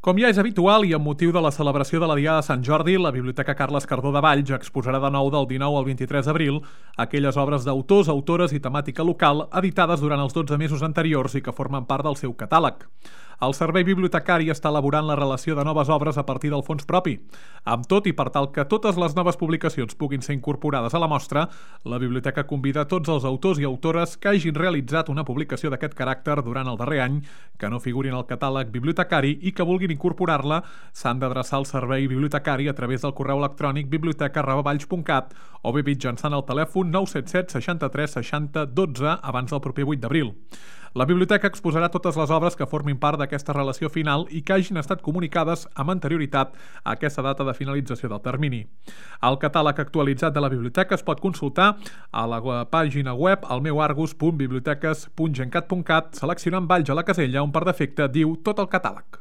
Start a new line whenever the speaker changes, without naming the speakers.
Com ja és habitual i amb motiu de la celebració de la Diada de Sant Jordi, la Biblioteca Carles Cardó de Valls exposarà de nou del 19 al 23 d'abril aquelles obres d'autors, autores i temàtica local editades durant els 12 mesos anteriors i que formen part del seu catàleg. El Servei Bibliotecari està elaborant la relació de noves obres a partir del fons propi. Amb tot i per tal que totes les noves publicacions puguin ser incorporades a la mostra, la Biblioteca convida tots els autors i autores que hagin realitzat una publicació d'aquest caràcter durant el darrer any, que no figurin al catàleg bibliotecari i que vulguin incorporar-la s'han d'adreçar al servei bibliotecari a través del correu electrònic biblioteca@valls.cat o bé mitjançant el telèfon 977 63 60 12 abans del proper 8 d'abril. La biblioteca exposarà totes les obres que formin part d'aquesta relació final i que hagin estat comunicades amb anterioritat a aquesta data de finalització del termini. El catàleg actualitzat de la biblioteca es pot consultar a la pàgina web almeuargus.biblioteques.gencat.cat seleccionant Valls a la casella on per defecte diu tot el catàleg.